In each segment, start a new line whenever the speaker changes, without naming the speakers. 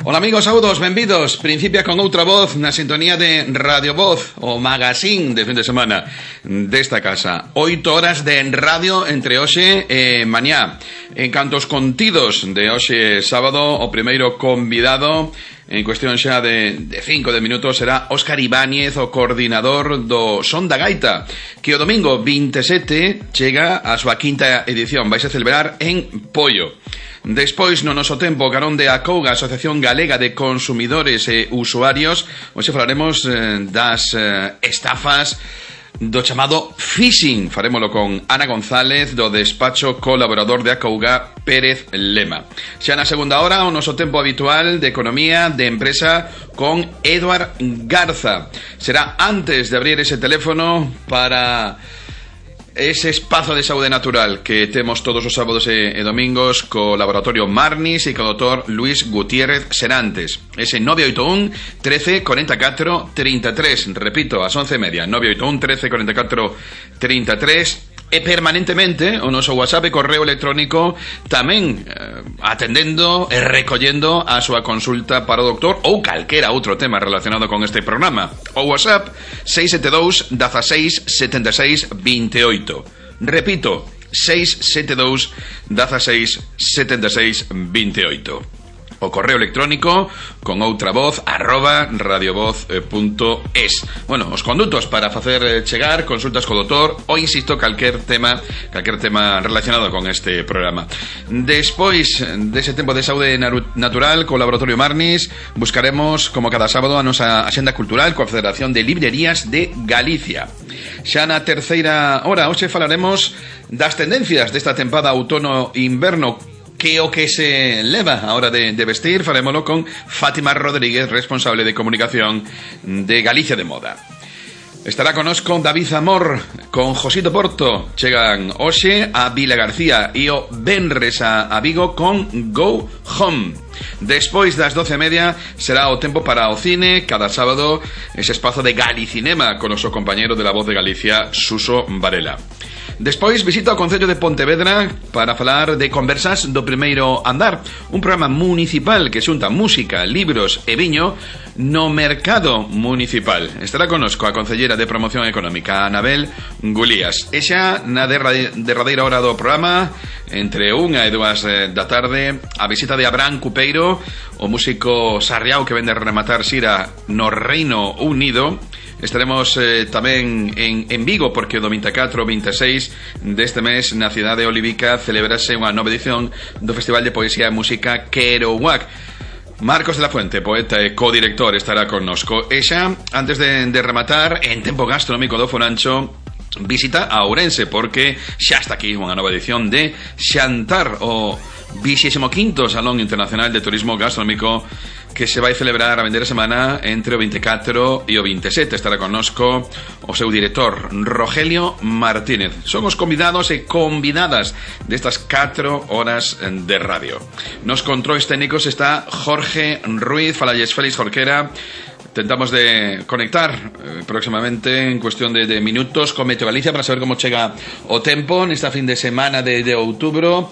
Ola amigos, saudos, benvidos. Principia con outra voz na sintonía de Radio Voz, o magazín de fin de semana desta casa. 8 horas de radio entre hoxe e mañá. En canto aos contidos de hoxe sábado, o primeiro convidado en cuestión xa de 5 minutos será Óscar Ibáñez, o coordinador do Son da Gaita, que o domingo 27 chega a súa quinta edición. Vais a celebrar en Poio. Despois, no noso tempo, carón de Acouga, Asociación Galega de Consumidores e Usuarios, hoxe falaremos das estafas do chamado phishing. Farémolo con Ana González, do despacho colaborador de Acouga, Pérez Lema. Xa na segunda hora, o noso tempo habitual de economía, de empresa, con Eduard Garza. Será antes de abrir ese teléfono para ese espazo de saúde natural que temos todos os sábados e domingos co Laboratorio Marnis e co Dr. Luis Gutiérrez Serantes. Ese 981 13 44 33. Repito, ás 11:30. 981 13 44 33. E permanentemente o noso WhatsApp e correo electrónico tamén atendendo e recollendo a súa consulta para o doctor ou calquera outro tema relacionado con este programa. O WhatsApp 672 16 76 28. Repito, 672 16 76 28. O correo electrónico con outra voz @radiovoz.es. Bueno, os condutos para facer chegar consultas co doutor ou, insisto, calquer tema relacionado con este programa. Despois dese tempo de saúde natural co Laboratorio Marnis, buscaremos, como cada sábado, a nosa axenda cultural coa Federación de Librerías de Galicia. Xa na terceira hora, hoxe falaremos das tendencias desta tempada outono-inverno, que o que se leva a hora de vestir. Farémolo con Fátima Rodríguez, responsable de comunicación de Galicia de Moda. Estará conosco David Amor con Josito Porto. Chegan hoxe a Vila García e o venres a Vigo con Go Home. Despois das 12:30 será o tempo para o cine. Cada sábado ese espazo de Galicinema con o noso compañero de La Voz de Galicia, Suso Varela. Despois visita o Concello de Pontevedra para falar de Conversas do Primeiro Andar, un programa municipal que xunta música, libros e viño no mercado municipal. Estará conosco a Concellera de Promoción Económica, Anabel Gulías. E xa na derradeira hora do programa, entre 1 e 2 da tarde, a visita de Abraham Cupeiro, o músico sarriao que vende a rematar xira no Reino Unido. Estaremos tamén en Vigo, porque o do 24 e 26 deste mes na cidade de Olivica celebrase unha nova edición do Festival de Poesía e Música Kerouac. Marcos de la Fuente, poeta e codirector, estará connosco. E xa, antes de rematar, en tempo gastronómico do Fonancho, visita a Ourense, porque xa está aquí unha nova edición de Xantar, o 25º Salón Internacional de Turismo Gastronómico, que se vai celebrar a vender a semana entre o 24 e o 27. Estará connosco o seu director, Rogelio Martínez. Son os convidados e convidadas destas 4 horas de radio. Nos controis técnicos está Jorge Ruiz. Falalles Félix Jorquera. Tentamos de conectar próximamente, en cuestión de minutos, con Meteo Galicia para saber como chega o tempo nesta fin de semana de outubro.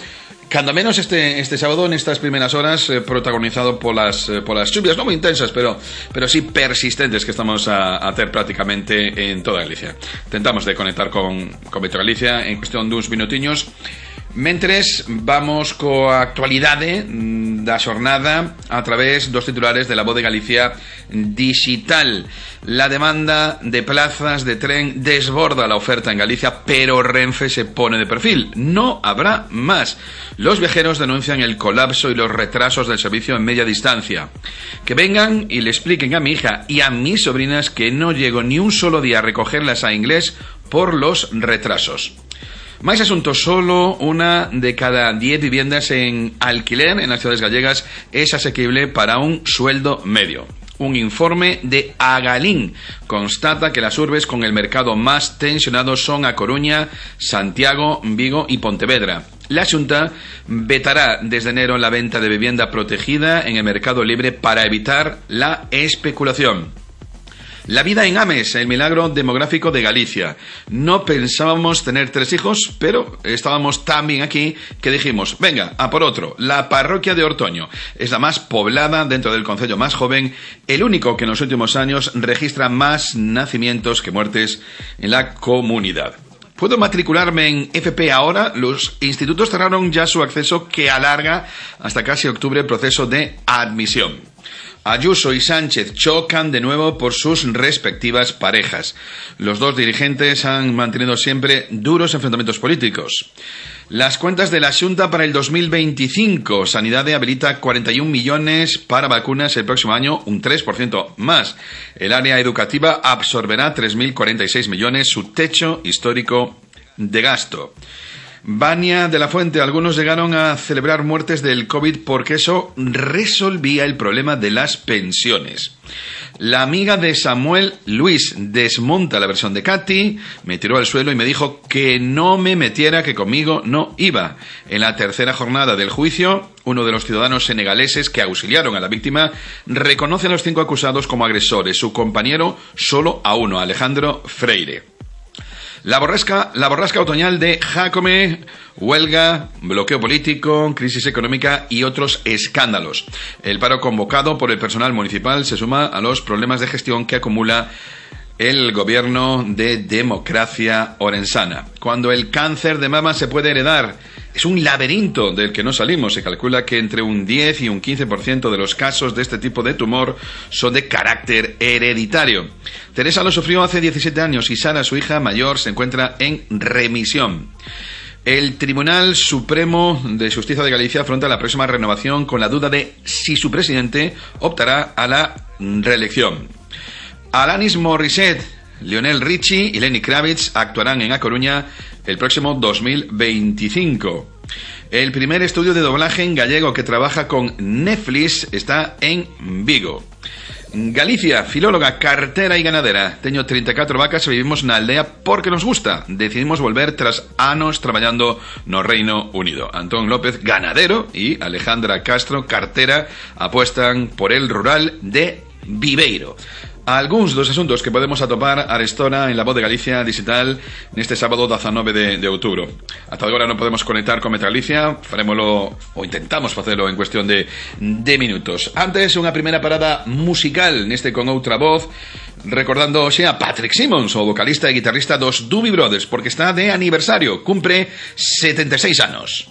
Cando menos este sábado, nestas primeiras horas, protagonizado polas chuvias, non moi intensas, pero sí persistentes, que estamos a ter prácticamente en toda Galicia. Tentamos de conectar con Meteo Galicia en cuestión duns minutiños. Mentres, vamos coa actualidade da xornada a través dos titulares de La Voz de Galicia Digital. La demanda de plazas de tren desborda la oferta en Galicia, pero Renfe se pone de perfil. No habrá más. Los viajeros denuncian el colapso y los retrasos del servicio en media distancia. Que vengan y le expliquen a mi hija y a mis sobrinas que no llego ni un solo día a recogerlas a inglés por los retrasos. Máis asuntos, solo una de cada 10 viviendas en alquiler en las ciudades gallegas es asequible para un sueldo medio. Un informe de Agalín constata que las urbes con el mercado más tensionado son A Coruña, Santiago, Vigo y Pontevedra. La Xunta vetará desde enero la venta de vivienda protegida en el mercado libre para evitar la especulación. La vida en Ames, el milagro demográfico de Galicia. No pensábamos tener 3 hijos, pero estábamos tan bien aquí que dijimos, venga, a por otro. La parroquia de Ortoño es la más poblada dentro del concello más joven, el único que en los últimos años registra más nacimientos que muertes en la comunidad. ¿Puedo matricularme en FP ahora? Los institutos cerraron ya su acceso, que alarga hasta casi octubre el proceso de admisión. Ayuso y Sánchez chocan de nuevo por sus respectivas parejas. Los dos dirigentes han mantenido siempre duros enfrentamientos políticos. Las cuentas de la Xunta para el 2025. Sanidad habilita 41 millones para vacunas el próximo año, un 3% más. El área educativa absorberá 3.046 millones, su techo histórico de gasto. Bania de la Fuente, algunos llegaron a celebrar muertes del COVID porque eso resolvía el problema de las pensiones. La amiga de Samuel, Luis, desmonta la versión de Katy, me tiró al suelo y me dijo que no me metiera, que conmigo no iba. En la tercera jornada del juicio, uno de los ciudadanos senegaleses que auxiliaron a la víctima reconoce a los 5 acusados como agresores, su compañero solo a uno, Alejandro Freire. La borrasca otoñal de Jácome, huelga, bloqueo político, crisis económica y otros escándalos. El paro convocado por el personal municipal se suma a los problemas de gestión que acumula el gobierno de democracia orensana. Cuando el cáncer de mama se puede heredar, es un laberinto del que no salimos. Se calcula que entre un 10 y un 15% de los casos de este tipo de tumor son de carácter hereditario. Teresa lo sufrió hace 17 años y Sara, su hija mayor, se encuentra en remisión. El Tribunal Supremo de Justicia de Galicia afronta la próxima renovación con la duda de si su presidente optará a la reelección. Alanis Morissette, Lionel Richie y Lenny Kravitz actuarán en A Coruña el próximo 2025. El primer estudio de doblaje en gallego que trabaja con Netflix está en Vigo. Galicia, filóloga, cartera y ganadera. Teño 34 vacas e vivimos na aldea porque nos gusta. Decidimos volver tras anos traballando no Reino Unido. Antón López, ganadero, y Alejandra Castro, cartera, apuestan por el rural de Viveiro. Algúns dos asuntos que podemos atopar arestora en La Voz de Galicia digital neste sábado 19 de outubro. Ata agora non podemos conectar con Metro Galicia, farémolo ou intentamos facelo en cuestión de minutos. Antes, unha primeira parada musical neste con outra voz, recordando hoxe a Patrick Simmons, o vocalista e guitarrista dos Doobie Brothers, porque está de aniversario, cumpre 76 anos.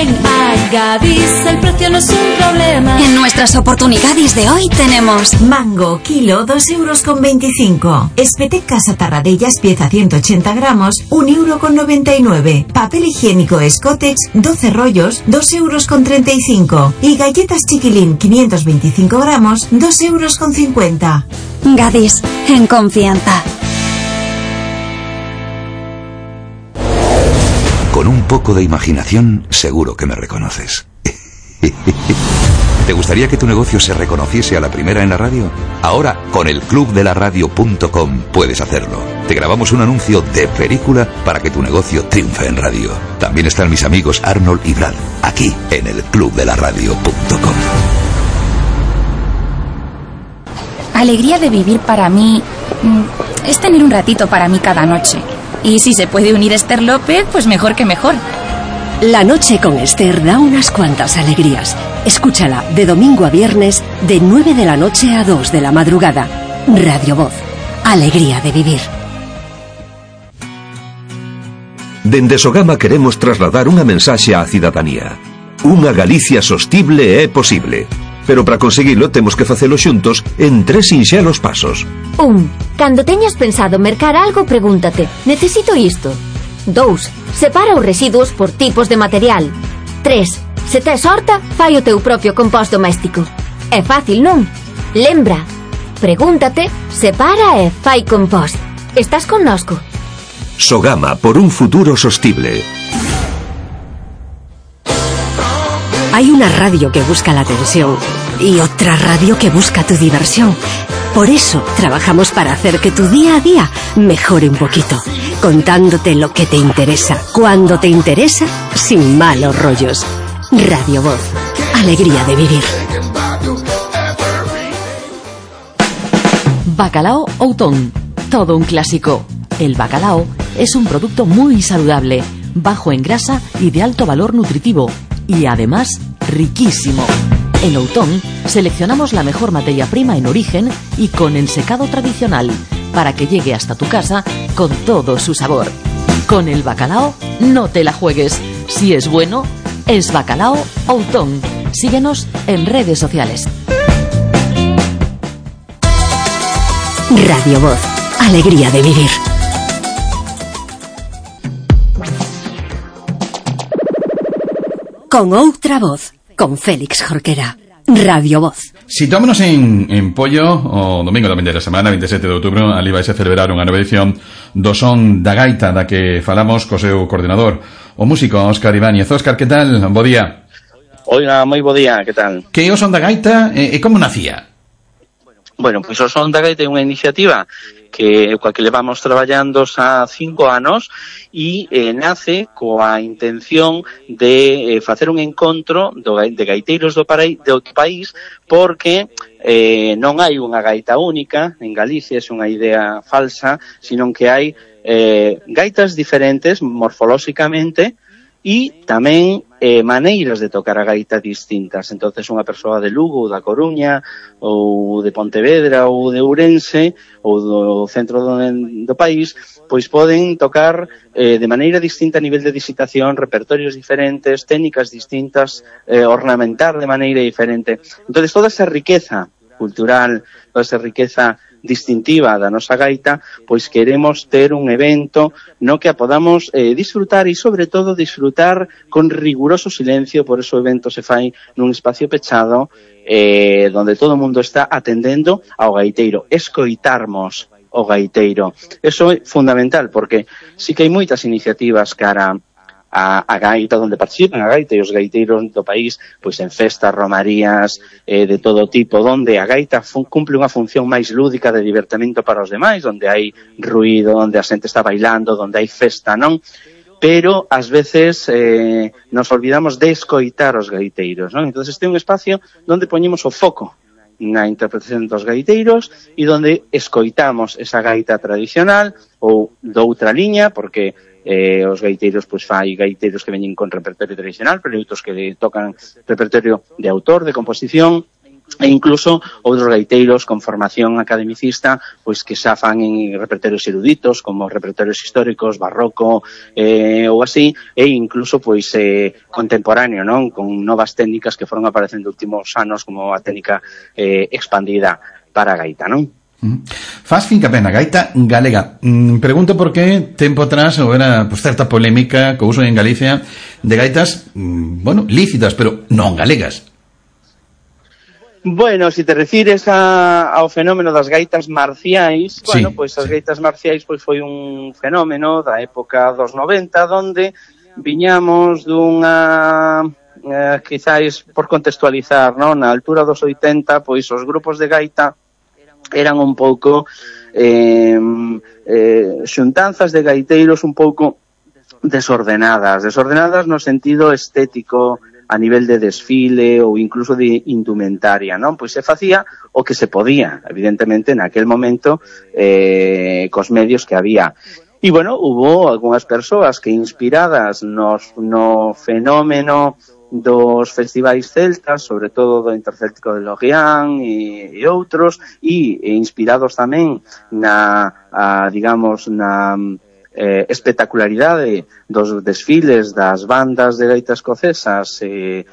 Ven a Gadis, el precio no es un problema.
En nuestras oportunidades de hoy tenemos
mango, kilo, 2,25 €. Espetec Casa Tarradellas, pieza 180 gramos, 1,99 €. Papel higiénico Scottex, 12 rollos, 2,35 €. Y galletas Chiquilín, 525 gramos, 2,50
€. Gadis, en confianza.
Con un poco de imaginación, seguro que me reconoces. ¿Te gustaría que tu negocio se reconociese a la primera en la radio? Ahora, con el clubdelaradio.com puedes hacerlo. Te grabamos un anuncio de película para que tu negocio triunfe en radio. También están mis amigos Arnold y Brad, aquí en el clubdelaradio.com.
Alegría de vivir para mí es tener un ratito para mí cada noche. Y si se puede unir Esther López, pues mejor que mejor.
La noche con Esther da unas cuantas alegrías. Escúchala de domingo a viernes de 9 de la noche a 2 de la madrugada. Radio Voz. Alegría de vivir.
Dende Sogama queremos trasladar unha mensaxe á cidadanía. Unha Galicia sostible é posible. Pero para conseguilo temos que facelo xuntos en 3 sinxelos pasos.
1. Cando teñas pensado mercar algo, pregúntate: necesito isto? 2. Separa os residuos por tipos de material. 3. Se tes horta, fai o teu propio compost doméstico. É fácil, non? Lembra, pregúntate, separa e fai compost. Estás connosco?
Sogama, por un futuro sostible.
Hay una radio que busca la atención y otra radio que busca tu diversión. Por eso trabajamos para hacer que tu día a día mejore un poquito, contándote lo que te interesa, cuando te interesa, sin malos rollos. Radio Voz. Alegría de vivir.
Bacalao Outón. Todo un clásico. El bacalao es un producto muy saludable, bajo en grasa y de alto valor nutritivo. Y además, riquísimo. En Outón seleccionamos la mejor materia prima en origen y con ensecado tradicional para que llegue hasta tu casa con todo su sabor. Con el bacalao no te la juegues. Si es bueno, es Bacalao Outón. Síguenos en redes sociales.
Radio Voz. Alegría de vivir. Con outra voz, con Félix Jorquera. Radio Voz.
Situámonos en Pollo, o domingo da vindeira semana, 27 de outubro, ali vais a celebrar unha nova edición do Son da Gaita, da que falamos co seu coordinador, o músico Óscar Ibáñez. Óscar, que tal? Bo día.
Oiga, moi bo día, que tal?
Que é o Son da Gaita e como nacía?
Bueno, pois o Son da Gaita é unha iniciativa coa que levamos traballando xa 5 anos e nace coa intención de facer un encontro de gaiteiros do país, porque non hai unha gaita única en Galicia, é unha idea falsa, sino que hai gaitas diferentes morfolóxicamente e tamén maneiras de tocar a gaita distintas. Entonces unha persoa de Lugo, ou da Coruña, ou de Pontevedra, ou de Ourense, ou do centro do país, pois poden tocar de maneira distinta a nivel de digitación, repertorios diferentes, técnicas distintas, ornamentar de maneira diferente. Entonces toda esa riqueza cultural, toda esa riqueza distintiva da nosa gaita, pois queremos ter un evento no que a podamos disfrutar e, sobre todo, disfrutar con riguroso silencio. Por eso o evento se fai nun espacio pechado donde todo o mundo está atendendo ao gaiteiro, escoitarmos o gaiteiro. Eso é fundamental, porque sí que hai moitas iniciativas cara a gaita, onde participan a gaita e os gaiteiros do país, pois en festas, romarías, de todo tipo, onde a gaita cumple unha función máis lúdica de divertimento para os demais, onde hai ruído, onde a xente está bailando, onde hai festa, non? Pero, ás veces, nos olvidamos de escoitar os gaiteiros, non? Entón, este é un espacio onde poñemos o foco na interpretación dos gaiteiros e onde escoitamos esa gaita tradicional ou doutra liña, porque os gaiteiros, pois fai gaiteiros que veñen con repertorio tradicional, pero outros que tocan repertorio de autor, de composición, e incluso outros gaiteiros con formación academicista pois que xa fan en repertorios eruditos como repertorios históricos, barroco ou así, e incluso pois contemporáneo, non? Con novas técnicas que foron aparecendo últimos anos como a técnica expandida para a gaita, non?
Faz fincapé na gaita galega. Pregunto por que tempo atrás houbera pues, certa polémica co uso en Galicia de gaitas, bueno, lícitas, pero non galegas.
Bueno, se te refires ao fenómeno das gaitas marciais, bueno, pois as gaitas marciais pois foi un fenómeno da época dos 90, donde viñamos dunha, quizáis por contextualizar, non? Na altura dos 80, pois os grupos de gaita eran un pouco xuntanzas de gaiteiros un pouco desordenadas no sentido estético, a nivel de desfile ou incluso de indumentaria, non? Pois se facía o que se podía, evidentemente, naquel momento, cos medios que había. E, bueno, hubo algunhas persoas que inspiradas no fenómeno dos festivais celtas, sobre todo do Intercéltico de Lorient e outros, e inspirados tamén digamos, na espectacularidade dos desfiles das bandas de gaita escocesas e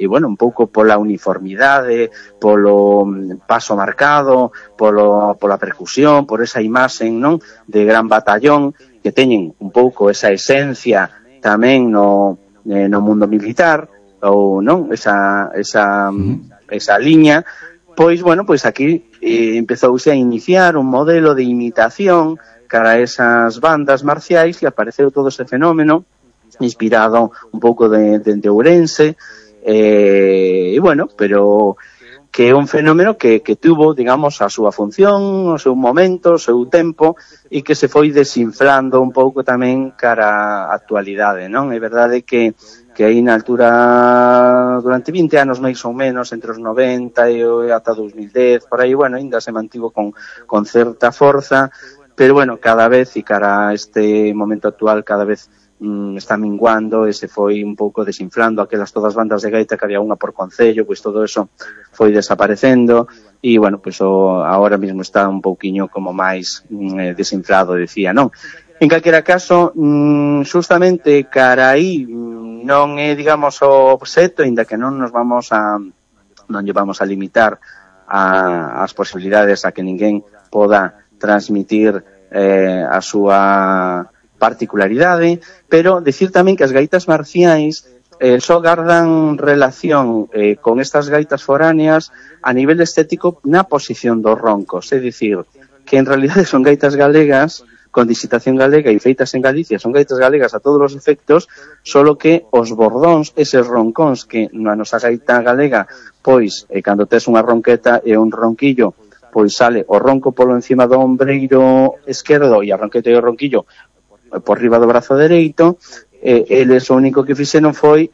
bueno, un pouco pola uniformidade, polo paso marcado, pola percusión, por esa imaxe, non, de gran batallón que teñen un pouco esa esencia tamén no mundo militar ou non, esa liña, pois bueno, pois aquí empezouse a iniciar un modelo de imitación cara a esas bandas marciais e apareceu todo ese fenómeno inspirado un pouco de Ourense e bueno, pero que é un fenómeno que tuvo, digamos, a súa función, o seu momento, o seu tempo e que se foi desinflando un pouco tamén cara á actualidade, non? É verdade que aí na altura, durante 20 anos máis ou menos, entre os 90 e ata 2010, por aí, bueno, ainda se mantivo con certa forza, pero bueno, cada vez, e cara a este momento actual, cada vez está minguando e se foi un pouco desinflando aquelas todas bandas de gaita que había unha por concello, pois todo eso foi desaparecendo e, bueno, pois agora mesmo está un pouquiño como máis desinflado, decía, non? En calquera caso, justamente cara aí non é, digamos, o obxecto, ainda que non vamos a limitar as posibilidades a que ninguén poda transmitir a súa particularidade, pero decir tamén que as gaitas marciais só gardan relación con estas gaitas foráneas a nivel estético na posición dos roncos, é dicir, que en realidade son gaitas galegas con digitación galega e feitas en Galicia, son gaitas galegas a todos os efectos, solo que os bordóns, eses roncóns que na nosa gaita galega, pois, cando tes unha ronqueta e un ronquillo, pois sale o ronco polo encima do ombreiro esquerdo e a ronqueta e o ronquillo por riba do brazo dereito, eles o único que fixeron foi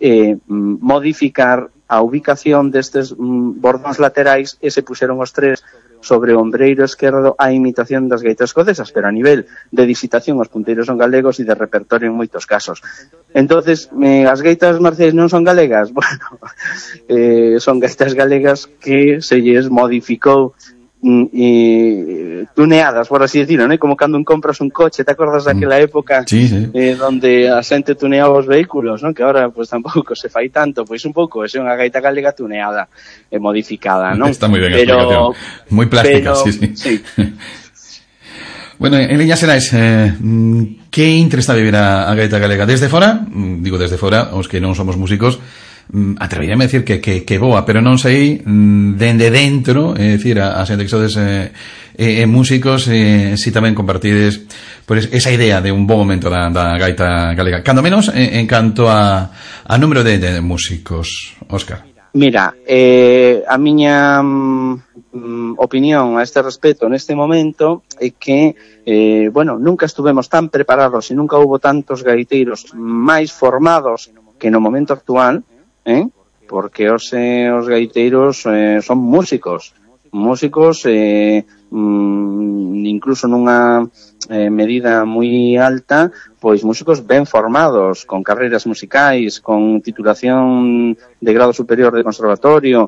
modificar a ubicación destes bordóns laterais e se puxeron os tres sobre o ombreiro esquerdo a imitación das gaitas escocesas, pero a nivel de digitación os punteiros son galegos e de repertorio en moitos casos. Entonces, as gaitas marciais non son galegas? Bueno, son gaitas galegas que se lles modificou tuneadas, por así decirlo, ¿no? Como cando compras un coche, te acordas daquela época donde a xente tuneaba os vehículos, ¿no? Que ahora pues tampouco se fai tanto, pois un pouco, é unha gaita galega tuneada e modificada, ¿no?
Está moi ben a explicación, moi plástica, sí. Bueno, en líneas xerais, que intre está a vivir a gaita galega? Desde fora, digo desde fora, os que non somos músicos, atreveríame a decir que boa, pero non sei dende dentro, é dicir, a xente que sodes músicos, si tamén compartides pues, esa idea de un bo momento da gaita galega, cando menos en canto a número de músicos. Óscar.
Mira, a miña opinión a este respecto neste momento é que bueno, nunca estuvemos tan preparados e nunca houbo tantos gaiteiros máis formados que no momento actual, porque os gaiteiros son músicos incluso nunha medida moi alta, pois músicos ben formados, con carreiras musicais, con titulación de grado superior de conservatorio,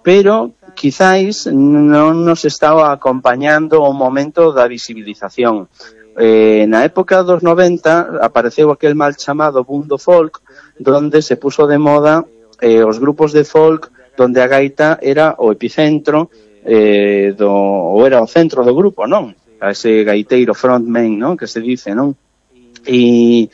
pero quizáis non nos estaba acompañando o momento da visibilización. Na época dos 90 apareceu aquel mal chamado boom do folk, donde se puso de moda os grupos de folk donde a gaita era o epicentro ou era o centro do grupo, non? A ese gaiteiro frontman, non? Que se dice, non? E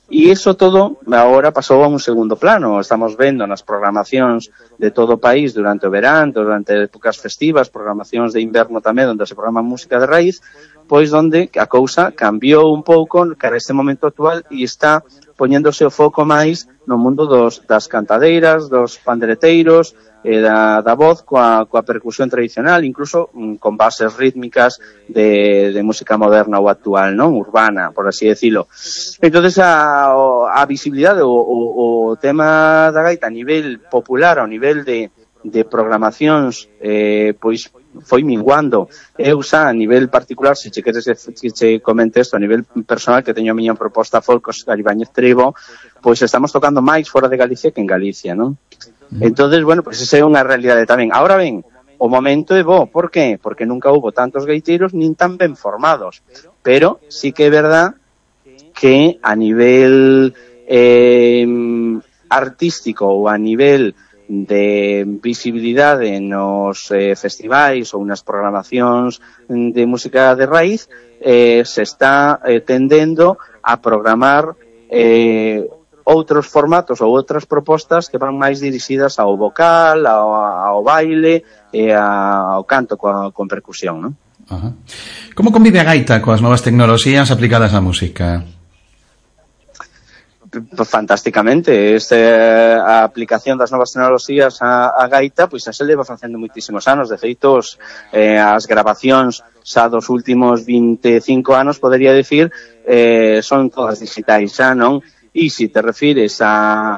iso todo agora pasou a un segundo plano. Estamos vendo nas programacións de todo o país durante o verán, durante épocas festivas, programacións de inverno tamén, onde se programa música de raíz, pois onde a cousa cambiou un pouco cara a este momento actual e está poñéndose o foco máis no mundo das cantadeiras, dos pandereteiros, da voz coa percusión tradicional, incluso con bases rítmicas de música moderna ou actual, non? Urbana, por así decirlo. Entonces a visibilidade, o tema da gaita a nivel popular, ao nivel de programacións, pois foi minguando. Eu xa a nivel particular, se che queres que che comente isto a nivel personal, que teño a miña proposta folk os Garibáñez Tribo, pois estamos tocando máis fora de Galicia que en Galicia, non? Entonces, bueno, pues esa é unha realidade tamén. Ahora ben, o momento é bo, por qué? Porque nunca hubo tantos gaiteiros nin tan ben formados, pero sí que é verdad que a nivel artístico ou a nivel de visibilidade nos festivais ou nas programacións de música de raíz se está tendendo a programar outros formatos ou outras propostas que van máis dirixidas ao vocal, ao baile e ao canto con percusión, non?
Ajá. Como convive a gaita coas novas tecnoloxías aplicadas á música?
Fantásticamente. A aplicación das novas tecnoloxías á gaita, pois xa se leva facendo moitísimos anos. De feito, as grabacións xa dos últimos 25 anos, podería decir, son todas digitais xa, non? E se te refires a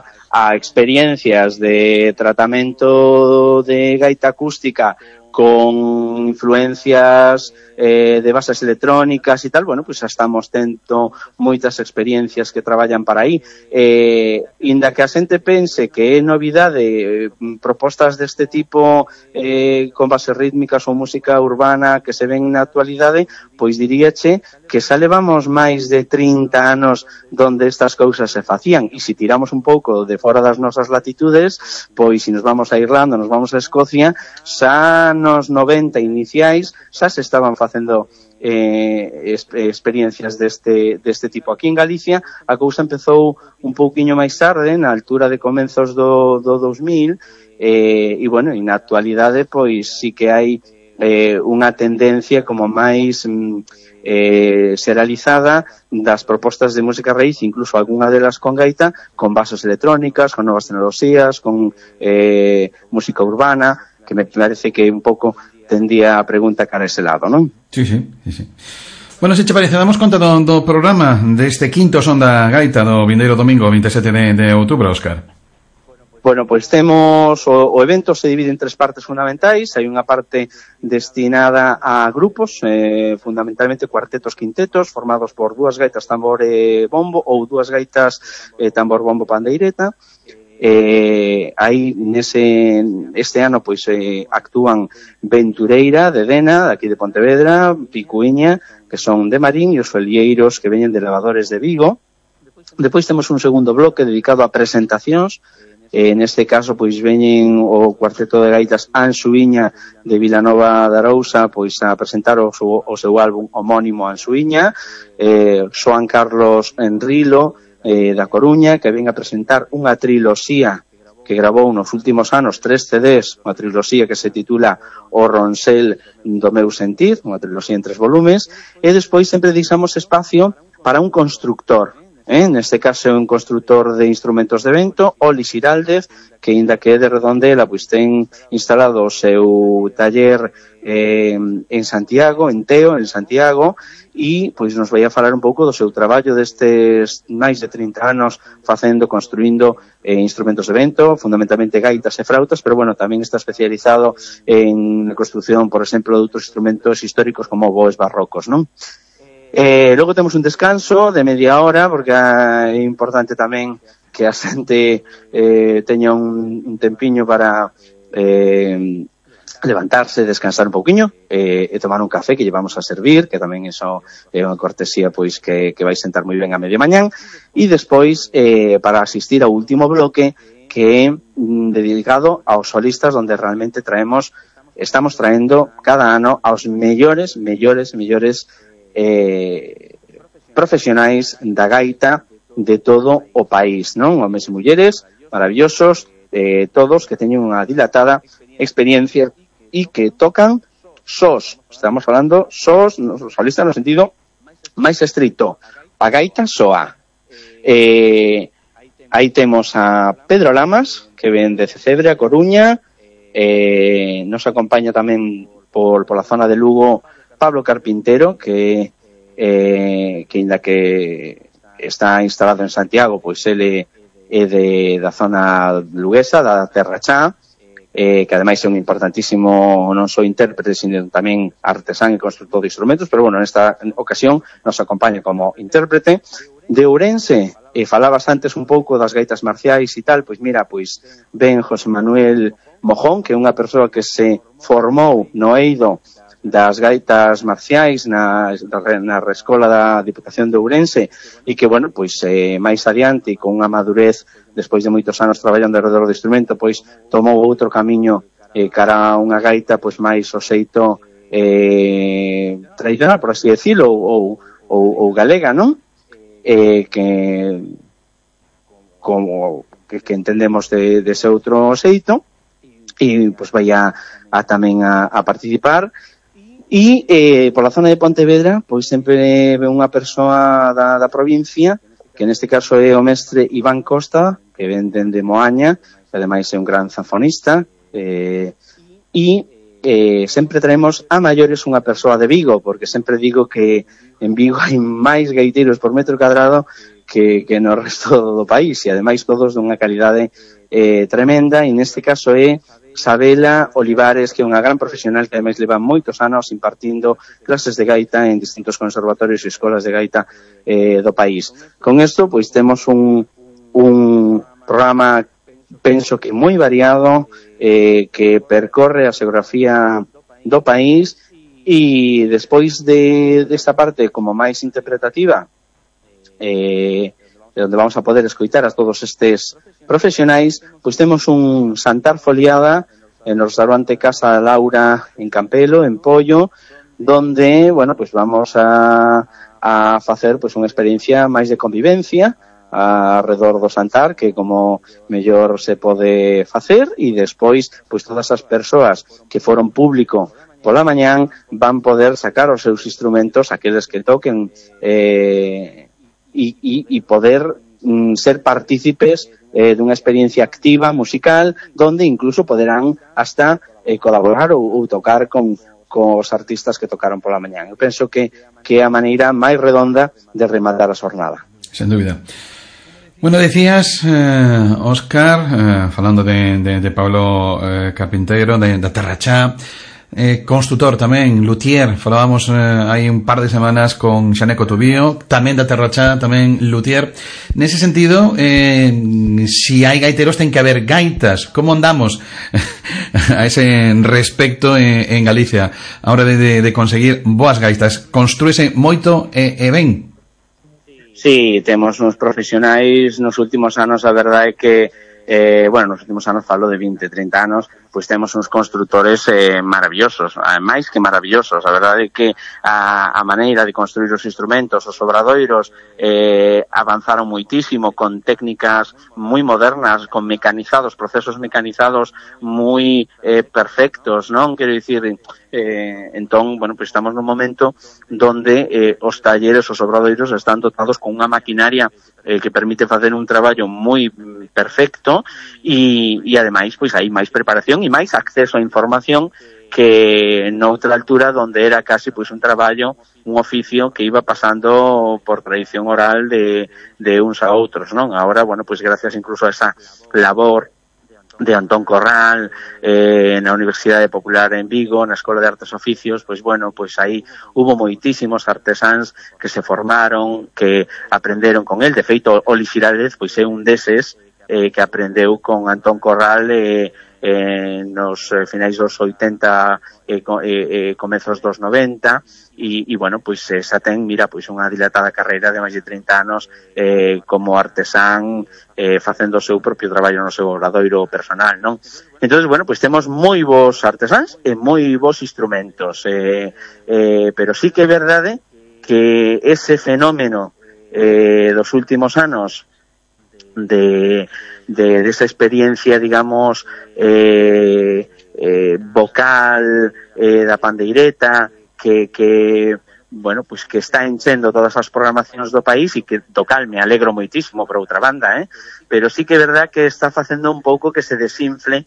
experiencias de tratamento de gaita acústica con influencias de bases electrónicas e tal, bueno, pues xa estamos tendo moitas experiencias que traballan para aí. Inda que a xente pense que é novidade propostas deste tipo con bases rítmicas ou música urbana que se ven na actualidade, pois diríache que xa levamos máis de 30 anos donde estas cousas se facían, e se tiramos un pouco de fora das nosas latitudes, pois se nos vamos a Irlanda, nos vamos a Escocia, xa nos 90 iniciais xa se estaban facendo experiencias deste tipo. Aquí en Galicia a cousa empezou un pouquiño máis tarde, na altura de comenzos do 2000, e bueno, e na actualidade pois sí que hai unha tendencia como máis serializada das propostas de música raíz, incluso algunha delas con gaita, con bases electrónicas, con novas tecnoloxías, con música urbana, que me parece que un pouco tendía a pregunta cara a ese lado, non?
Sí. Bueno, se che parece, damos conta do programa deste quinto Son da Gaita do vindeiro domingo 27 de outubro, Óscar.
Bueno, pois temos o evento se divide en tres partes fundamentais. Hai unha parte destinada a grupos, fundamentalmente cuartetos, quintetos, formados por dúas gaitas tambor e bombo ou dúas gaitas tambor, bombo, pandeireta. Aí este ano pois actúan Ventureira de Dena, de aquí de Pontevedra, Picuiña, que son de Marín, e os Felieiros, que veñen de Lavadores de Vigo. Depois temos un segundo bloque dedicado a presentacións. Neste caso pois veñen o cuarteto de gaitas Ansuíña de Vilanova de Arousa pois a presentar o seu álbum homónimo Ansuíña, Xoan Carlos Enrilo da Coruña, que ven a presentar unha triloxía que gravou nos últimos anos 3 CDs, unha triloxía que se titula O Ronsel do meu sentir, unha triloxía en 3 volumes, e despois sempre deixamos espacio para un constructor. Neste caso é un constructor de instrumentos de vento, Oli Xiraldez, que inda que é de Redondela, pois ten instalado o seu taller en Santiago, en Teo, en Santiago, e pois nos vai a falar un pouco do seu traballo destes máis de 30 anos construindo instrumentos de vento, fundamentalmente gaitas e frautas, pero bueno, tamén está especializado en construción, por exemplo, de outros instrumentos históricos como boes barrocos, non? Logo temos un descanso de media hora, porque é importante tamén que a xente teña un tempiño para levantarse, descansar un pouquiño e tomar un café que llevamos a servir, que tamén iso é unha cortesía pois que vai sentar moi ben a media mañán, e despois para asistir ao último bloque que é dedicado aos solistas, onde realmente estamos traendo cada ano aos mellores profesionais da gaita de todo o país, non? Homes e mulleres maravillosos, todos que teñen unha dilatada experiencia e que tocan sós. Estamos falando sós, solistas no sentido máis estrito. A gaita soa. Aí temos a Pedro Lamas, que ven de Cebre, a Coruña. Nos acompaña tamén pola zona de Lugo Pablo Carpintero, que inda que está instalado en Santiago, pois ele é da zona luguesa, da Terra Chá, que ademais é un importantísimo non só intérprete, sino tamén artesán e constructor de instrumentos, pero bueno, nesta ocasión nos acompaña como intérprete. De Ourense, falabas antes un pouco das gaitas marciais e tal, pois mira, pois ven José Manuel Mojón, que é unha persoa que se formou no eido das gaitas marciais na Escola da Diputación de Ourense e que, bueno, pois máis adiante, con unha madurez despois de moitos anos traballando alrededor do instrumento, pois tomou outro camiño cara a unha gaita pois máis o xeito tradicional, por así decirlo, ou galega, non? Que entendemos de ese outro xeito e pois vai tamén a participar. E pola zona de Pontevedra pois sempre ve unha persoa da provincia, que neste caso é o mestre Iván Costa, que ven dende Moaña, que ademais é un gran zanfonista, e sempre traemos a maiores unha persoa de Vigo, porque sempre digo que en Vigo hai máis gaiteiros por metro cadrado que no resto do país, e ademais todos dunha calidade tremenda, e neste caso é Sabela Olivares, que é unha gran profesional que ademais leva moitos anos impartindo clases de gaita en distintos conservatorios e escolas de gaita do país. Con isto, pois temos un programa, penso que moi variado, que percorre a xeografía do país, e despois desta parte como máis interpretativa, onde vamos a poder escoitar a todos estes profesionais, pois temos un Santar Foliada no restaurante Casa Laura en Campelo, en Pollo, donde, bueno, pois vamos a facer pois unha experiencia máis de convivencia alrededor do Santar, que como mellor se pode facer, e despois pois todas as persoas que foron público pola mañán van poder sacar os seus instrumentos, aqueles que toquen, e poder ser partícipes dunha experiencia activa musical, donde incluso poderán hasta colaborar ou tocar cos artistas que tocaron pola mañán. Eu penso que é a maneira máis redonda de rematar a xornada.
Sen dúbida. Bueno, decías, Óscar, falando de Pablo Carpintero, da Terra Chá, construtor tamén, luthier, falábamos hai un par de semanas con Xaneco Tubío, tamén da Terra Chá, tamén luthier. Nese sentido, si hai gaiteros ten que haber gaitas. Como andamos a ese respecto en Galicia a hora de conseguir boas gaitas? Construíse moito e ben?
Sí, temos uns profesionais nos últimos anos, a verdade é que nos últimos anos, falo de 20, 30 anos, pois temos uns construtores maravillosos, máis que maravillosos. A verdade é que a maneira de construir os instrumentos, os obradoiros, avanzaron moitísimo con técnicas moi modernas, con mecanizados, procesos mecanizados moi perfectos, non? Quero dicir, entón, bueno, pois estamos nun momento donde os talleres, os obradoiros están dotados con unha maquinaria que permite facer un traballo moi perfecto, e ademais pois hai máis preparación e máis acceso a información que noutra altura donde era casi pois un traballo, un oficio que iba pasando por tradición oral de uns a outros, non? Agora, bueno, pois gracias incluso a esa labor de Antón Corral na Universidade Popular en Vigo, na Escola de Artes e Oficios, pois bueno, pois aí hubo moitísimos artesáns que se formaron, que aprenderon con el. De feito, Oli Xirález pois é un deses que aprendeu con Antón Corral nos finais dos 80 comezos dos 90 e bueno, pois xa ten, mira, pois unha dilatada carreira de máis de 30 anos como artesán, facendo o seu propio traballo no seu obradoiro personal, non? Entonces, bueno, pois temos moi bons artesáns e moi bons instrumentos, pero sí que é verdade que ese fenómeno dos últimos anos de esa experiencia, digamos, vocal, da pandeireta, que bueno, pues que está enchendo todas as programacións do país e que do cal me alegro moitísimo por outra banda, pero sí que é verdad que está facendo un pouco que se desinfle,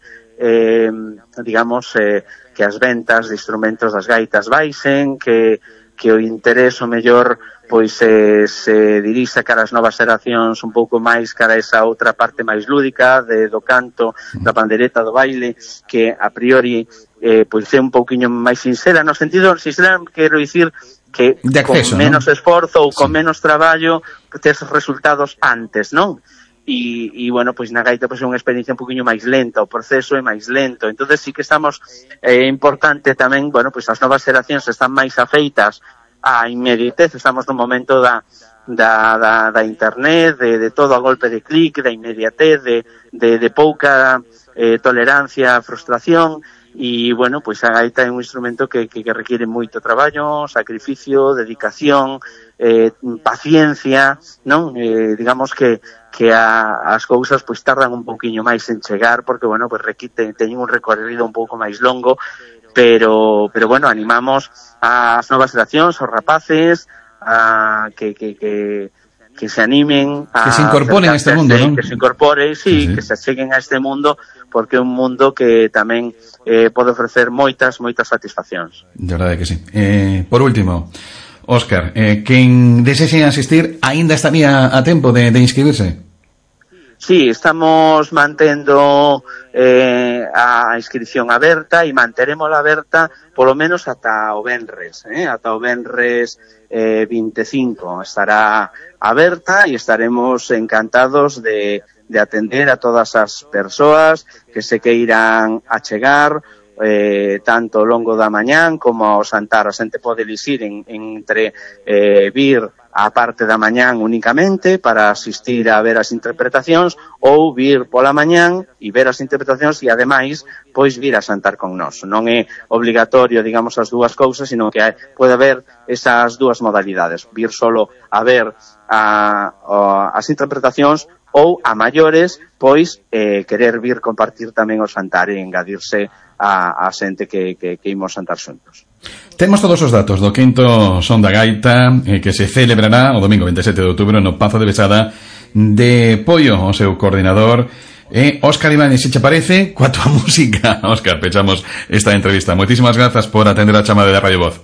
digamos, que as ventas de instrumentos das gaitas baixen, que o interés o mellor pois se dirixa cara as novas xeracións un pouco máis cara a esa outra parte máis lúdica do canto, da pandereta, do baile, que a priori pois é un pouquiño máis sincera, no sentido, sincera quero dicir que acceso, con menos esforzo ou con menos traballo tes resultados antes, non? E bueno, pois na gaita pois é unha experiencia un poquinho máis lenta, o proceso é máis lento, entonces sí que estamos, importante tamén, bueno, pois as novas xeracións están máis afeitas a inmediatez, estamos no momento da internet, de todo a golpe de clic, da inmediatez, de pouca tolerancia a frustración, e, bueno, pois a gaita é un instrumento que requiere moito traballo, sacrificio, dedicación, paciencia, non? Digamos que as cousas pois tardan un pouquiño máis en chegar, porque, bueno, pois teñen un recorrido un pouco máis longo, pero bueno, animamos ás novas xeracións, aos rapaces, a que se animen a...
Que se incorporen a este mundo, non?
Que se incorporen, sí, que se cheguen a este mundo, porque é un mundo que tamén pode ofrecer moitas satisfaccións.
De verdade que sí. Por último, Óscar, quen desexe asistir aínda estaría a tempo de inscribirse?
Sí, estamos mantendo a inscripción aberta e manterémola aberta polo menos ata o venres, ata o venres 25 estará aberta e estaremos encantados de atender a todas as persoas que se queiran achegar, tanto ao longo da mañán como ao xantar. A xente pode elisir entre vir a parte da mañán únicamente para asistir a ver as interpretacións ou vir pola mañán e ver as interpretacións e, ademais, pois vir a xantar con nós. Non é obligatorio, digamos, as dúas cousas, sino que pode haber esas dúas modalidades. Vir solo a ver as interpretacións ou, a maiores, pois, querer vir compartir tamén o xantar e engadirse a xente que imos xantar xuntos.
Temos todos os datos do quinto Son da Gaita, que se celebrará o domingo 27 de outubro no Pazo de Besada de Pollo, o seu coordinador, Óscar Ibáñez. Se che parece, coa tua música, Óscar, pechamos esta entrevista. Moitísimas grazas por atender a chamada de Radio Voz.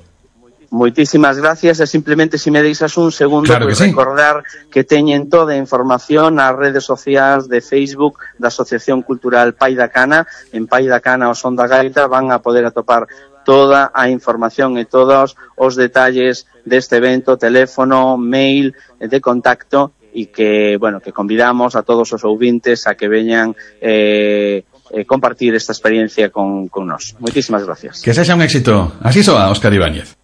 Moitísimas gracias, e simplemente se me deixas un segundo,
claro que sí.
Recordar que teñen toda a información nas redes sociais de Facebook da Asociación Cultural Pai da Cana. En Pai da Cana o Son da Gaita van a poder atopar toda a información e todos os detalles deste evento, teléfono, mail de contacto, e que, bueno, que convidamos a todos os ouvintes a que veñan compartir esta experiencia con nós. Moitísimas gracias.
Que sexa un éxito. Así soa, Óscar Ibáñez.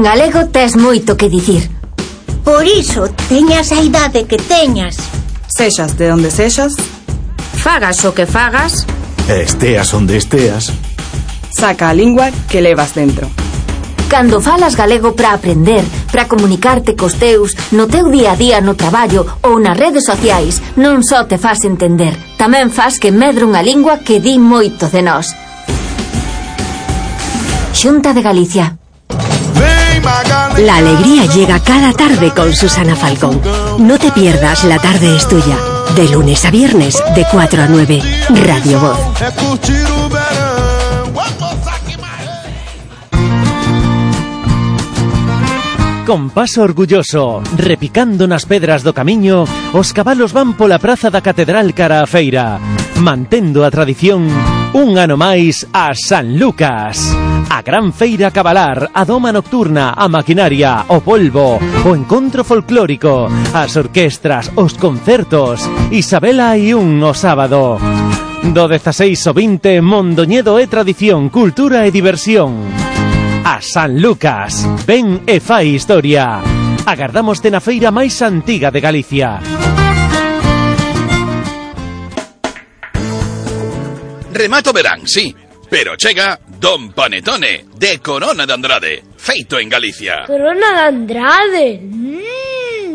En galego tes moito que dicir.
Por iso, teñas a idade que teñas.
Sexas de onde sexas,
Fagas o que fagas,
esteas onde esteas,
saca a lingua que levas dentro.
Cando falas galego para aprender, para comunicarte cos teus, no teu día a día no traballo ou nas redes sociais, non só te fas entender, tamén fas que medre unha lingua que di moito de nós. Xunta de Galicia.
La alegría llega cada tarde con Susana Falcón. No te pierdas La tarde es tuya. De lunes a viernes, de 4 a 9. Radio Voz.
Con paso orgulloso, repicando nas pedras do camiño, os cabalos van pola praza da Catedral cara a feira, mantendo a tradición un ano máis a San Lucas. A gran feira cabalar, a doma nocturna, a maquinaria, o polvo, o encontro folclórico, as orquestras, os concertos. Isabela hai un o sábado. Do 16 ao 20, Mondoñedo é tradición, cultura e diversión. A San Lucas, ven e fai historia. Agardámoste na feira máis antiga de Galicia.
Remato verán, sí, pero chega Don Panetone, de Corona de Andrade, feito en Galicia.
Corona de Andrade.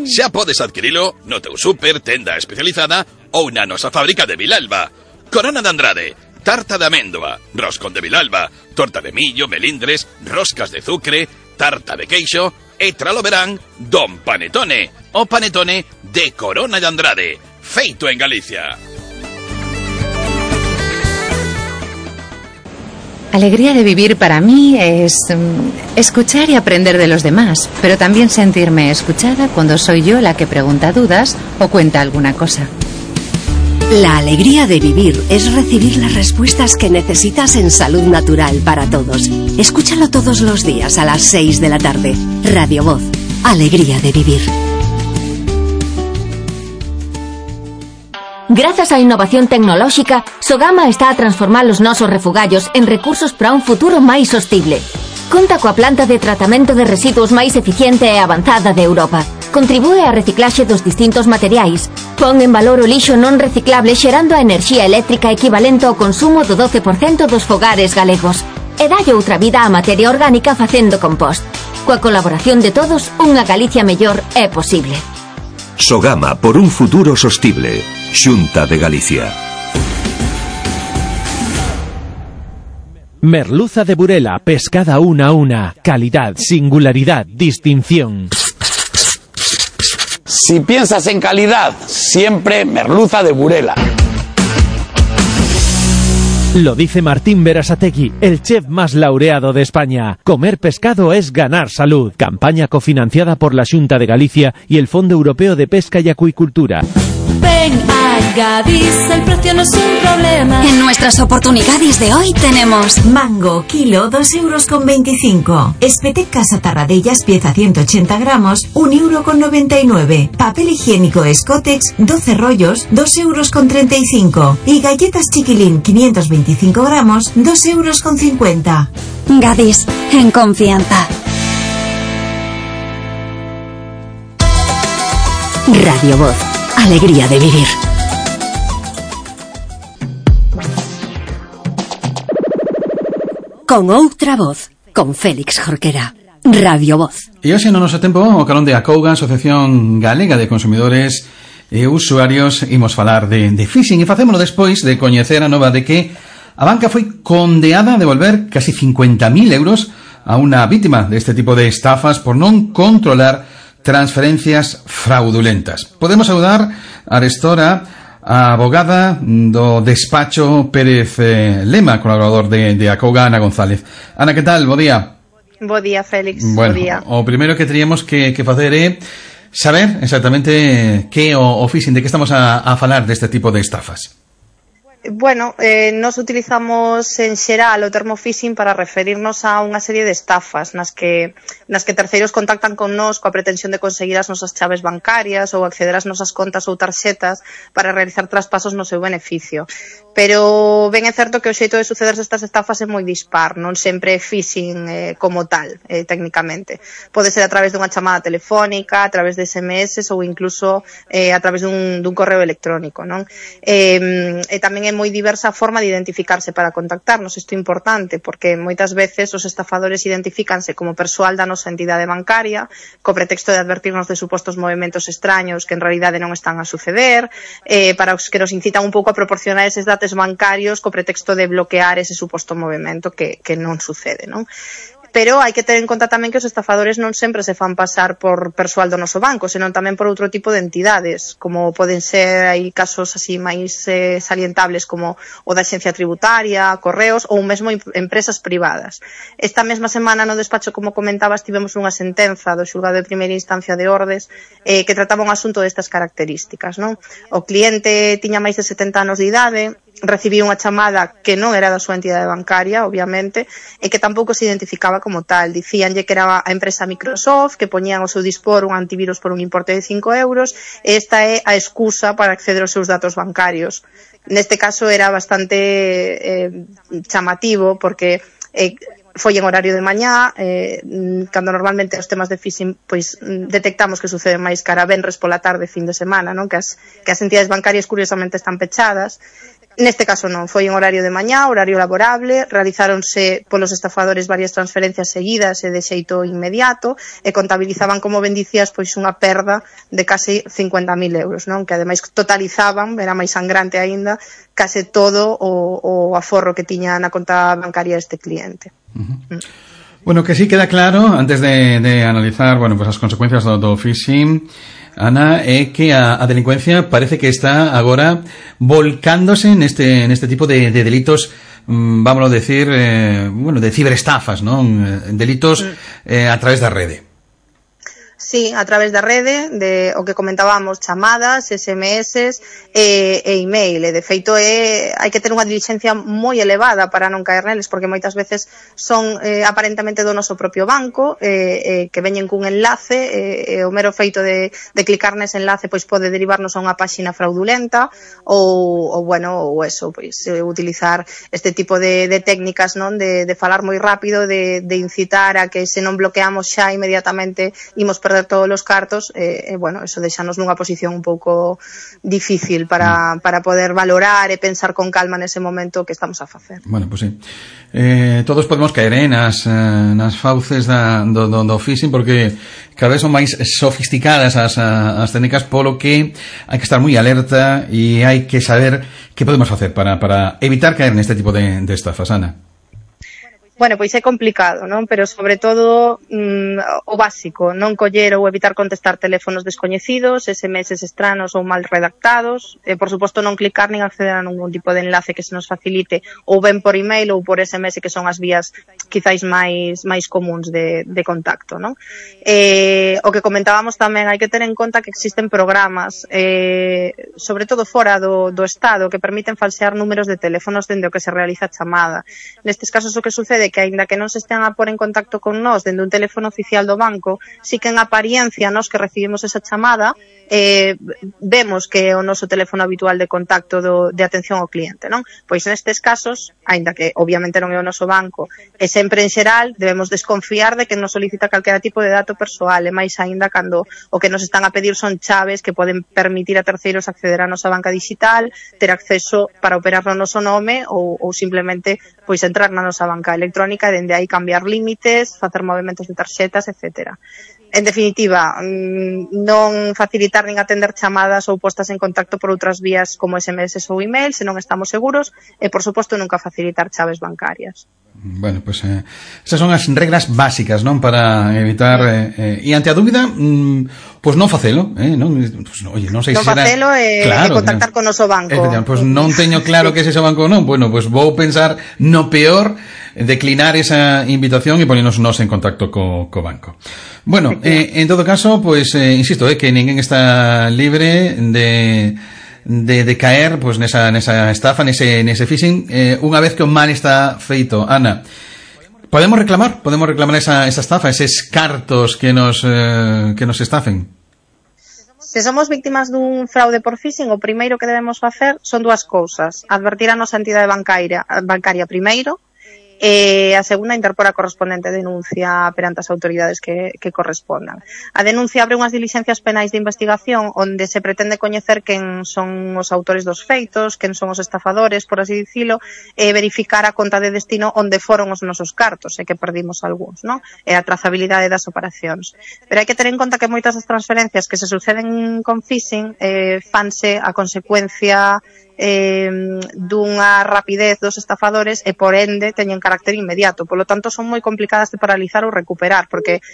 Xa podes adquirilo no teu super, tenda especializada ou na nosa fábrica de Vilalba. Corona de Andrade, tarta de améndoa, roscón de Vilalba, torta de millo, melindres, roscas de zucre, tarta de queixo e tralo verán Don Panetone, o panetone de Corona de Andrade, feito en Galicia.
Alegría de vivir para mí es escuchar y aprender de los demás, pero también sentirme escuchada cuando soy yo la que pregunta dudas o cuenta alguna cosa.
La alegría de vivir es recibir las respuestas que necesitas en Salud Natural para todos. Escúchalo todos los días a las 6 de la tarde. Radio Voz. Alegría de vivir.
Grazas á innovación tecnolóxica, Sogama está a transformar os nosos refugallos en recursos para un futuro máis sostible. Conta coa planta de tratamento de residuos máis eficiente e avanzada de Europa. Contribúe á reciclaxe dos distintos materiais. Pon en valor o lixo non reciclable xerando a enerxía eléctrica equivalente ao consumo do 12% dos fogares galegos. E dalle outra vida á materia orgánica facendo compost. Coa colaboración de todos, unha Galicia mellor é posible.
Sogama, por un futuro sostible. Xunta de Galicia.
Merluza de Burela, pescada una a una. Calidad, singularidad, distinción.
Si piensas en calidad, siempre merluza de Burela.
Lo dice Martín Berasategui, el chef más laureado de España. Comer pescado es ganar salud. Campaña cofinanciada por la Xunta de Galicia y el Fondo Europeo de Pesca y Acuicultura.
Ven a Gadis, el precio no es un problema.
En nuestras oportunidades de hoy tenemos
mango, kilo, 2,25 €. Espetec Casa Tarradellas, pieza 180 gramos, 1,99 €. Papel higiénico Escotex, 12 rollos, 2,35 €. Y galletas Chiquilín, 525 gramos, 2,50
€. Gadis, en confianza.
Radio Voz. Alegría de vivir. Con outra voz, con Félix Jorquera. Radio Voz.
E hoxe no noso tempo, o calón de Acouga, Asociación Galega de Consumidores e Usuarios, imos falar de phishing, e facémolo despois de coñecer a nova de que a banca foi condeada a devolver casi 50.000 euros a unha vítima deste tipo de estafas por non controlar transferencias fraudulentas. Podemos saudar a Arestora, a abogada do despacho Pérez Lema, colaborador de Acouga, Ana González. Ana, que tal? Bo día.
Bo día, Félix.
Bueno,
bo día.
O primeiro que teríamos que facer é saber exactamente que o phishing, de que estamos a falar deste tipo de estafas.
Bueno, nos utilizamos en xeral o termo phishing para referirnos a unha serie de estafas nas que terceiros contactan con nós coa pretensión de conseguir as nosas chaves bancarias ou acceder ás nosas contas ou tarxetas para realizar traspasos no seu beneficio. Pero ben é certo que o xeito de sucederse estas estafas é moi dispar, non sempre é phishing como tal, técnicamente. Pode ser a través dunha chamada telefónica, a través de SMS ou incluso a través dun correo electrónico, non? E tamén é moi diversa a forma de identificarse para contactarnos. Isto é importante porque moitas veces os estafadores identifícanse como persoal da nosa entidade bancaria co pretexto de advertirnos de supostos movimentos extraños que en realidade non están a suceder, para os que nos incitan un pouco a proporcionar eses datos bancarios co pretexto de bloquear ese suposto movimento que non sucede, non? Pero hai que ter en conta tamén que os estafadores non sempre se fan pasar por persoal do noso banco, senón tamén por outro tipo de entidades, como poden ser, hai casos así máis salientables como o da Axencia Tributaria, Correos ou mesmo empresas privadas. Esta mesma semana no despacho, como comentabas, tivemos unha sentenza do xulgado de primeira instancia de Ordes que trataba un asunto destas características, non? O cliente tiña máis de 70 anos de idade, recibiu unha chamada que non era da súa entidade bancaria, obviamente, e que tampouco se identificaba como tal. Dicíanlle que era a empresa Microsoft, que poñían ao seu dispor un antivirus por un importe de 5 euros, e esta é a excusa para acceder aos seus datos bancarios. Neste caso era bastante chamativo, porque foi en horario de mañá, cando normalmente os temas de phishing pois detectamos que sucede máis cara venres pola tarde, fin de semana, non? Que as entidades bancarias curiosamente están pechadas. Neste caso non, foi en horario de mañá, horario laborable, realizáronse polos estafadores varias transferencias seguidas e de xeito inmediato e contabilizaban, como ben dicías, pois unha perda de case 50.000 euros, non? Que ademais totalizaban, era máis sangrante aínda, case todo o aforro que tiña na conta bancaria este cliente.
Bueno, que sí queda claro, antes de analizar, bueno, pues as consecuencias do phishing, Ana, é que a delincuencia parece que está agora volcándose neste tipo de delitos, vámonos decir, bueno, de ciberestafas, non? Delitos a través da rede.
Sí, a través da rede, de o que comentábamos, chamadas, SMS e email. E de feito hai que ter unha dilixencia moi elevada para non caer neles, porque moitas veces son aparentemente do noso propio banco, que veñen cun enlace, e o mero feito de clicar nese enlace pois pode derivarnos a unha páxina fraudulenta ou eso, pois utilizar este tipo de técnicas, non, de falar moi rápido, de incitar a que se non bloqueamos xa inmediatamente imos perder todos os cartos, bueno, eso deixanos nunha posición un pouco difícil para poder valorar e pensar con calma nese momento que estamos a facer.
Bueno, pues sí. Todos podemos caer nas fauces do phishing, porque cada vez son máis sofisticadas as técnicas, polo que hai que estar moi alerta e hai que saber que podemos facer para evitar caer neste tipo de estafas, Ana.
Bueno, pois é complicado, non? Pero sobre todo o básico, non coller ou evitar contestar teléfonos descoñecidos, SMS estranos ou mal redactados, por suposto non clicar nin acceder a ningún tipo de enlace que se nos facilite, ou ben por email ou por SMS, que son as vías quizáis máis comuns de contacto, non? O que comentábamos tamén, hai que ter en conta que existen programas, sobre todo fora do Estado, que permiten falsear números de teléfonos dende o que se realiza a chamada. Nestes casos o que sucede que, aínda que non se estean a pôr en contacto con nós dende un teléfono oficial do banco, si que en apariencia nós que recibimos esa chamada vemos que é o noso teléfono habitual de contacto de atención ao cliente, non? Pois nestes casos, aínda que obviamente non é o noso banco, e sempre en xeral debemos desconfiar de que nos solicita calquera tipo de dato persoal, e máis aínda cando o que nos están a pedir son chaves que poden permitir a terceiros acceder á nosa banca digital, ter acceso para operar no noso nome ou simplemente pois entrar na nosa banca electrónica e dende aí cambiar límites, facer movimentos de tarxetas, etcétera. En definitiva, non facilitar nin atender chamadas ou postas en contacto por outras vías como SMS ou email, se non estamos seguros, e, por suposto, nunca facilitar chaves bancarias.
Bueno, pues esas son as reglas básicas, non, para evitar e ante a dúbida, pues non facelo, non, pues, oye, non sei se será
facelo e contactar con o noso banco.
Pues non teño claro que é ese banco ou non. Bueno, pues vou pensar no peor, declinar esa invitación e ponernos nos en contacto co banco. Bueno, en todo caso, pues insisto, que ninguén está libre de caer pois nesa estafa, nese phishing, unha vez que o mal está feito. Ana, podemos reclamar esa estafa, eses cartos que nos estafen?
Se somos víctimas dun fraude por phishing, o primeiro que debemos facer son dúas cousas: advertir a nosa entidade bancaria primeiro, e a segunda, interpor a correspondente denuncia perante as autoridades que correspondan. A denuncia abre unhas diligencias penais de investigación onde se pretende coñecer quen son os autores dos feitos, quen son os estafadores, por así dicilo, e verificar a conta de destino onde foron os nosos cartos, e que perdimos algúns, non? E a trazabilidade das operacións. Pero hai que ter en conta que moitas das transferencias que se suceden con phishing fanse a consecuencia dunha rapidez dos estafadores e por ende teñen carácter inmediato, polo tanto son moi complicadas de paralizar ou recuperar, porque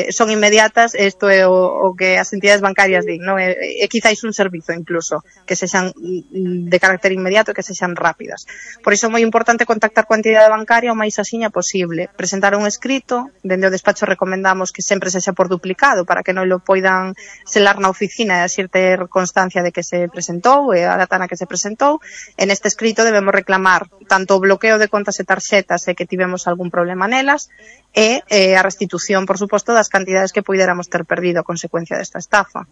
son inmediatas. Isto é o que as entidades bancarias din, non? E quizáis un servizo incluso que sexan de carácter inmediato e que sexan rápidas. Por iso é moi importante contactar coa entidade bancaria o máis axiña posible, presentar un escrito. Dende o despacho recomendamos que sempre sexa por duplicado para que non lo poidan selar na oficina e así ter constancia de que se presentou e a data na que se presentou. En este escrito debemos reclamar tanto o bloqueo de contas e tarxetas e que tivemos algún problema nelas e a restitución, por suposto, das cantidades que puidéramos ter perdido a consecuencia desta estafa.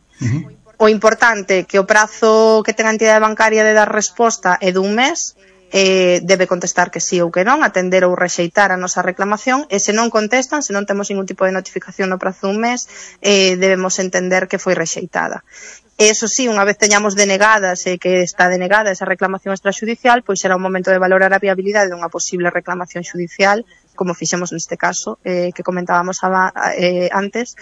O importante que o prazo que ten a entidade bancaria de dar resposta é dun mes. Debe contestar que sí ou que non, atender ou rexeitar a nosa reclamación, e se non contestan, se non temos ningún tipo de notificación no prazo dun mes, debemos entender que foi rexeitada. Eso sí, unha vez teñamos denegadas e que está denegada esa reclamación extrajudicial, pois será un momento de valorar a viabilidade dunha posible reclamación judicial, como fixemos neste caso que comentábamos antes,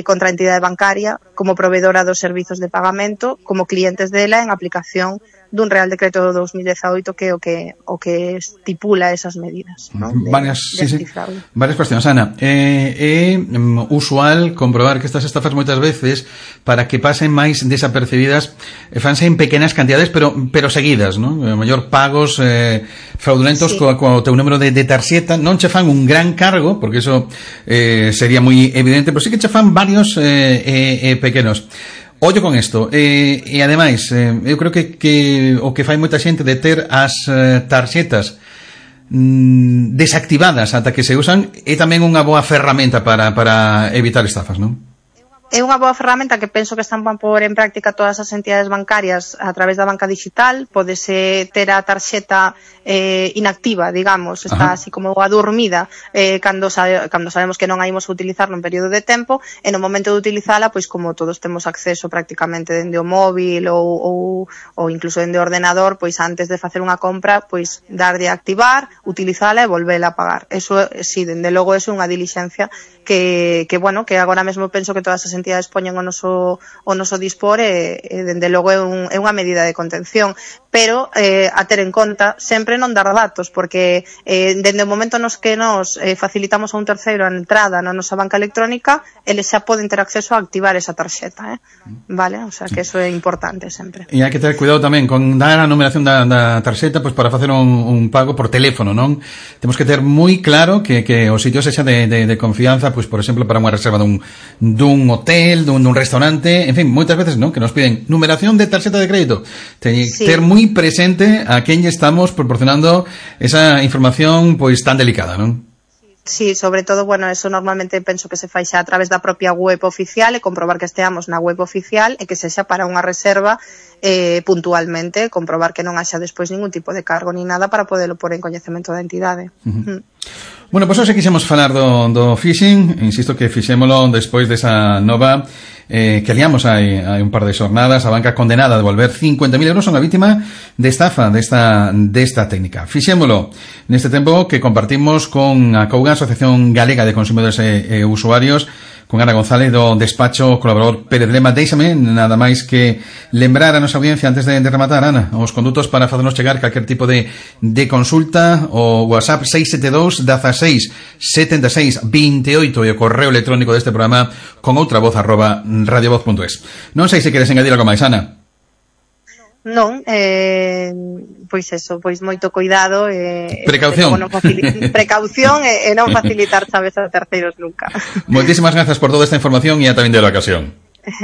contra a entidade bancaria como provedora dos servizos de pagamento, como clientes dela en aplicación dun Real Decreto 2018 que é o que estipula esas medidas, ¿no?
Varias cuestións, Ana. É usual comprobar que estas estafas moitas veces, para que pasen máis desapercibidas, fanse en pequenas cantidades pero seguidas, ¿no? A mellor pagos fraudulentos co teu número de tarxeta. Non che fan un gran cargo, porque eso sería moi evidente, pero sí que che fan varios pequenos. Ollo con isto, e ademais eu creo que o que fai moita xente de ter as tarxetas desactivadas ata que se usan é tamén unha boa ferramenta para evitar estafas, non?
É unha boa ferramenta que penso que están a pôr en práctica todas as entidades bancarias a través da banca digital. Pódese ter a tarxeta inactiva, digamos, está así como adormida cando sabemos que non a imos a utilizar nun período de tempo, e no momento de utilizala, pois como todos temos acceso prácticamente dende o móvil ou incluso dende o ordenador, pois antes de facer unha compra, pois darlle a activar, utilizala e volvela a pagar. Eso, sí, dende logo, é unha dilixencia que bueno, que agora mesmo penso que todas as entidades poñen o noso dispor, e dende logo é unha medida de contención, pero a ter en conta sempre non dar datos, porque dende o momento nos que nos facilitamos a un terceiro a entrada na nosa banca electrónica, eles xa poden ter acceso a activar esa tarxeta, vale? O sea que eso é importante sempre.
E hai que ter cuidado tamén con dar a numeración da tarxeta, pois para facer un pago por teléfono, non? Temos que ter moi claro que o sitio sexa de confianza, pois por exemplo para unha reserva dun hotel, dun restaurante, en fin, moitas veces, non, que nos piden numeración de tarxeta de crédito. Teñe que ter moi presente a quen lle estamos proporcionando esa información pois tan delicada, non?
Sí, sobre todo, bueno, eso normalmente penso que se fai xa a través da propia web oficial, e comprobar que esteamos na web oficial e que sexa para unha reserva puntualmente, comprobar que non haxa despois ningún tipo de cargo ni nada para poderlo pôr en coñecemento da entidade.
Bueno, pois hoxe quixemos falar do phishing. Insisto que fixémolo despois desa nova que liamos hai un par de xornadas. A banca condenada a devolver 50.000 euros a unha vítima de estafa desta técnica. Fixémolo neste tempo que compartimos con a COUGA, Asociación Galega de Consumidores e Usuarios, con Ana González do despacho colaborador Pérez Lema. Deixame nada máis que lembrar a nosa audiencia antes de rematar, Ana, os condutos para facernos chegar calquer tipo de consulta: o WhatsApp 672 16 76 28 e o correo electrónico deste programa con outra voz @radiovoz.es. Non sei se queres engadir algo máis, Ana.
Non, pois eso, pois moito cuidado,
precaución
e non facilitar chaves a terceiros nunca.
Moitísimas grazas por toda esta información e ata vinde a ocasión.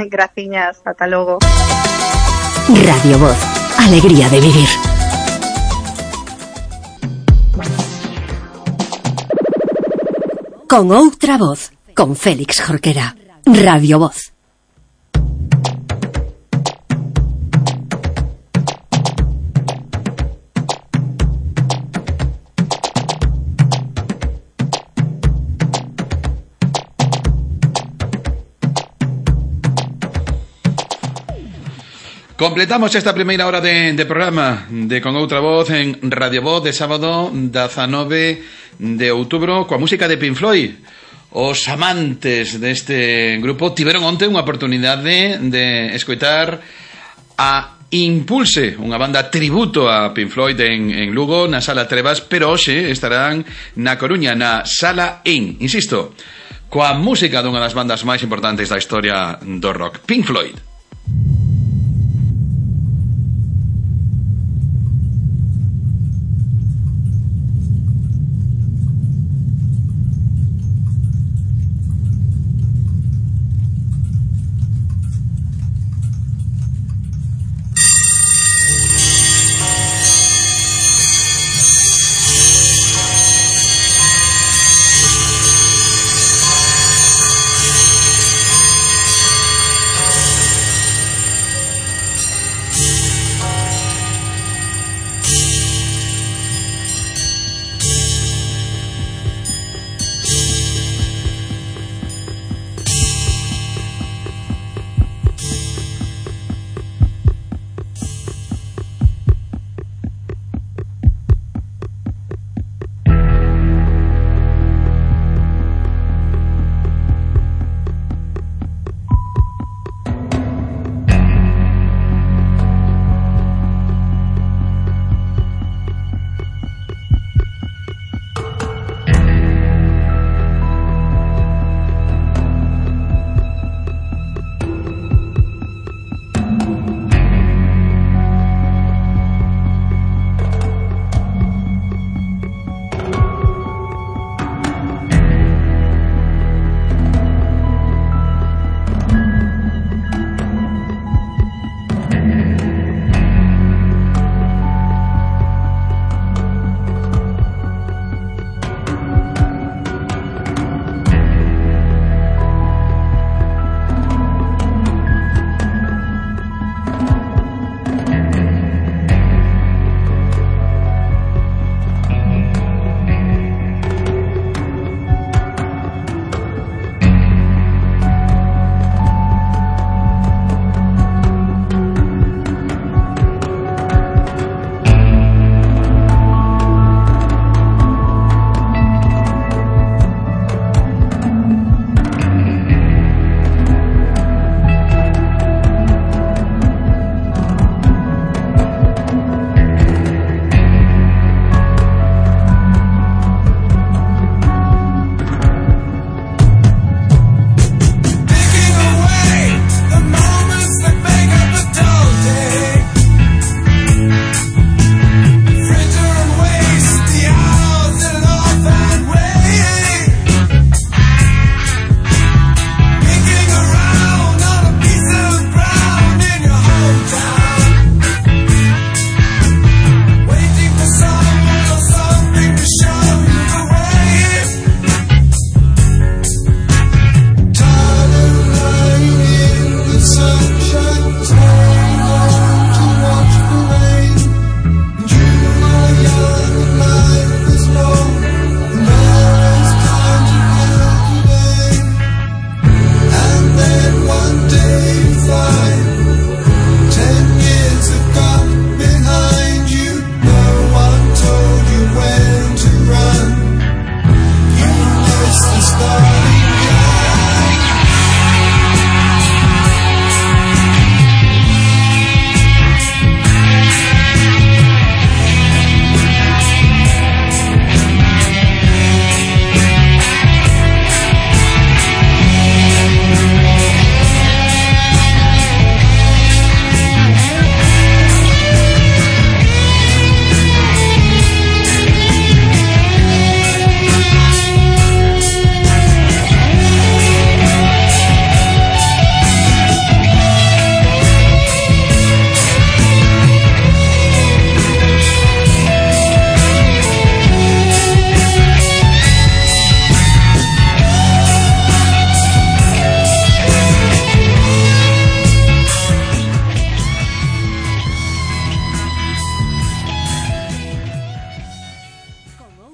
Graciñas, ata logo.
Radio Voz. Alegría de vivir. Con outra voz, con Félix Jorquera. Radio Voz.
Completamos esta primeira hora de programa de Con Outra Voz en Radio Voz de sábado 19 de outubro coa música de Pink Floyd. Os amantes deste grupo tiveron onte unha oportunidade de escoitar a Impulse, unha banda tributo a Pink Floyd en Lugo, na Sala Trevas, pero hoxe estarán na Coruña, na Sala In, insisto, coa música dunha das bandas máis importantes da historia do rock, Pink Floyd.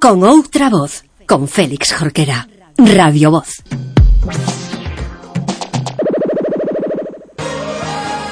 Con outra voz, con Félix Jorquera. Radio Voz.